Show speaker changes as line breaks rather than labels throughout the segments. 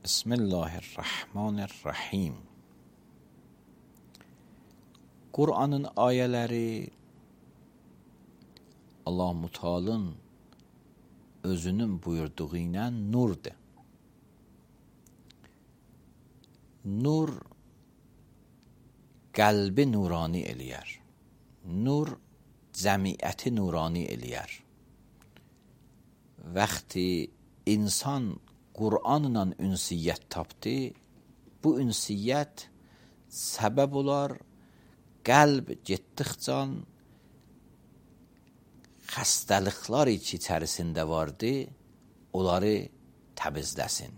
Bismillahirrahmanirrahim. Qur'anın ayələri Allah-u Teala'nın özünün buyurduğu ilə nurdur. Nur qəlbi nurani eləyər. Nur cəmiyyəti nurani eləyər. Vaxtı insan Qur'anla ünsiyyət tapdı, bu ünsiyyət səbəb olar qəlb getdikcə xəstəliklər içərisində vardı, onları təmizləsin.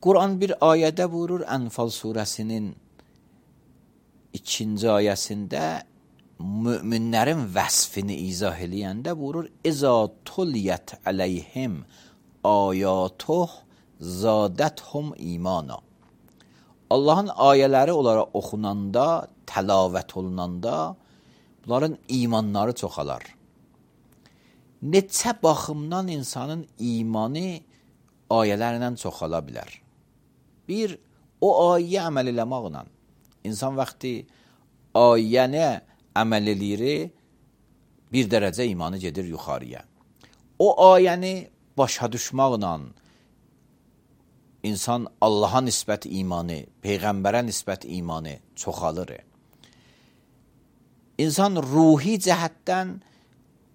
Qur'an bir ayədə buyurur, Ənfal surəsinin 2-ci ayəsində müminlərin vəsfini izah eləyəndə buyurur, İza tulliyət əleyhim ayatuh zadəthum imana. Allahın ayələri onlara oxunanda, təlavət olunanda, bunların imanları çoxalar. Neçə baxımdan insanın imanı ayələrlə çoxala bilər. Bir, o ayəyə əməl eləməklə. İnsan vaxtı ayəni əməl eləyir, bir dərəcə imanı gedir yuxarıya. O ayəni başa düşməklə insan Allaha nisbət imanı, Peyğəmbərə nisbət imanı çoxalır. İnsan ruhi cəhətdən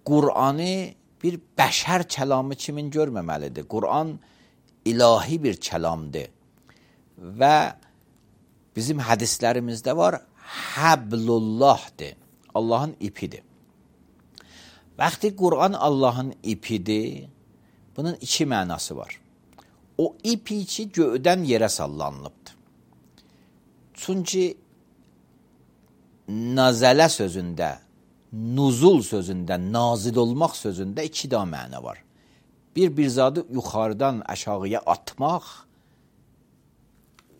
Qur'anı bir bəşər kəlamı kimin görməməlidir. Qur'an ilahi bir kəlamdır. Və bizim hədislərimizdə var, Həblullahdır. Allahın ipidir. Vaxtı Qur'an Allahın ipidir, bunun iki mənası var. O ip içi göydən yerə sallanılıbdır. Çünki nazələ sözündə, nuzul sözündə, nazil olmaq sözündə iki daha məna var. Bir zadı yuxarıdan aşağıya atmaq,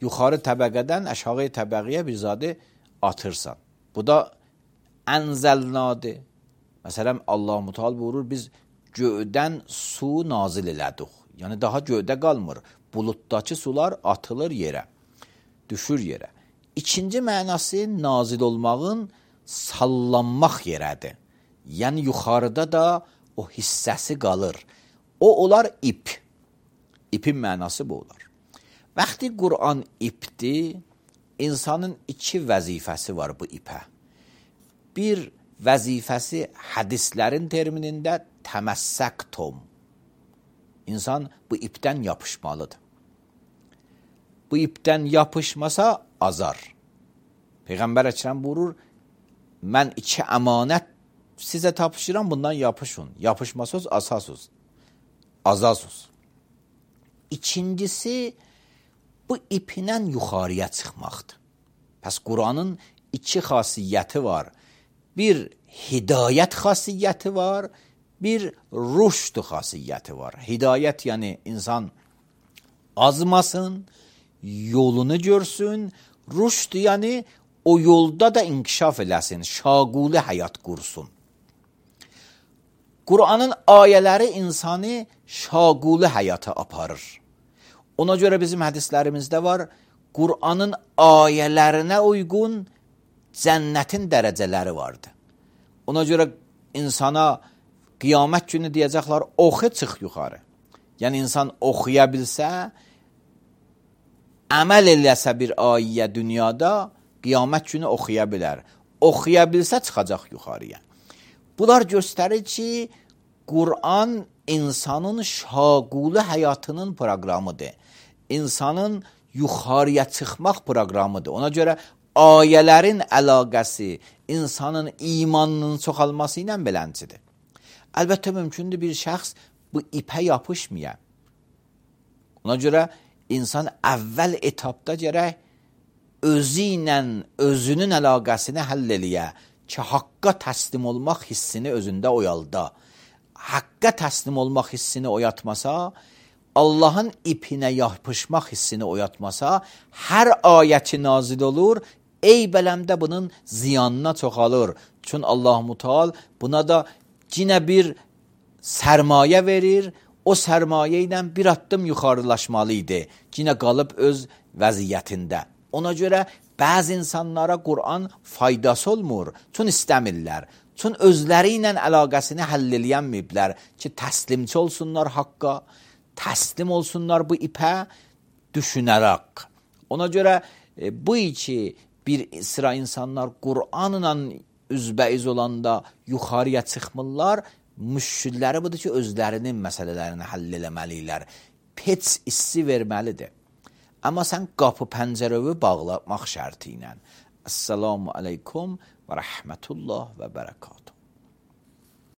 yuxarı təbəqədən aşağı təbəqəyə bir zadı atırsan. Bu da ənzəlnadır. Məsələn, Allah-u Teala buyurur, biz göydən su nazil elədik. Yəni, daha göydə qalmır. Bulutdakı sular atılır yerə, düşür yerə. İkinci mənası nazil olmağın sallanmaq yerədir. Yəni, yuxarıda da o hissəsi qalır. O, olar ip. İpin mənası bu olar. Vaxtı Qur'an ipdir, insanın iki vəzifəsi var bu ipə. Bir vəzifəsi hədislərin terminində təməssəktum. İnsan bu ipdən yapışmalıdır. Bu ipdən yapışmasa azar. Peyğəmbər Əkrəm buyurur, mən iki əmanət sizə tapışıram, bundan yapışın. Yapışmasız, asasız. Azasız. İkincisi, bu iplə yuxarıya çıxmaqdır. Pəs Qur'anın iki xasiyyəti var. Bir hidayət xasiyyəti var, bir rüşd xasiyyəti var. Hidayət yəni insan azmasın, yolunu görsün, rüşd yəni o yolda da inkişaf eləsin, şaguli həyat qursun. Qur'anın ayələri insanı şaguli həyata aparır. Ona görə bizim hədislərimizdə var, Qur'anın ayələrinə uyğun cənnətin dərəcələri vardır. Ona görə insana qiyamət günü deyəcəklər, oxu çıx yuxarı. Yəni, insan oxuya bilsə, əməl eləsə bir ayə dünyada, qiyamət günü oxuya bilər. Oxuya bilsə, çıxacaq yuxarıya. Bunlar göstərir ki, Qur'an insanın şaguli həyatının proqramıdır. İnsanın yuxarıya çıxmaq proqramıdır. Ona görə ayələrin əlaqəsi insanın imanının çoxalması ilə beləncidir. Əlbəttə, mümkündür bir şəxs bu ipə yapışmaya. Ona görə insan əvvəl etapda gərək özü ilə özünün əlaqəsini həll eləyə ki, haqqa təslim olmaq hissini özündə oyalda. Haqqa təslim olmaq hissini oyatmasa, Allahın ipinə yapışmaq hissini oyatmasa, hər ayəti nazil olur, ey bələmdə bunun ziyanına çoxalır. Çünki Allah-u Teala buna da yine bir sermaye verir, o sərmayə ilə bir addım yuxarılaşmalı idi ki, yenə qalıb öz vəziyyətində. Ona görə bəzi insanlara Qur'an faydası olmur, çün istəmirlər. Çün özləri ilə əlaqəsini həll eləyənməyiblər ki, təslimçi olsunlar haqqa, təslim olsunlar bu ipə düşünərək. Ona görə bu ki, bir sıra insanlar Qur'anla üzbəiz olanda yuxarıya çıxmırlar, müşkilləri budur ki, özlərinin məsələlərini həll eləməlilər. Heç hissi verməlidir. Amma sən qapı pəncərəvi bağlamaq şərti ilə. Esselamu aleykum və rəhmətullah və bərəkatuhu.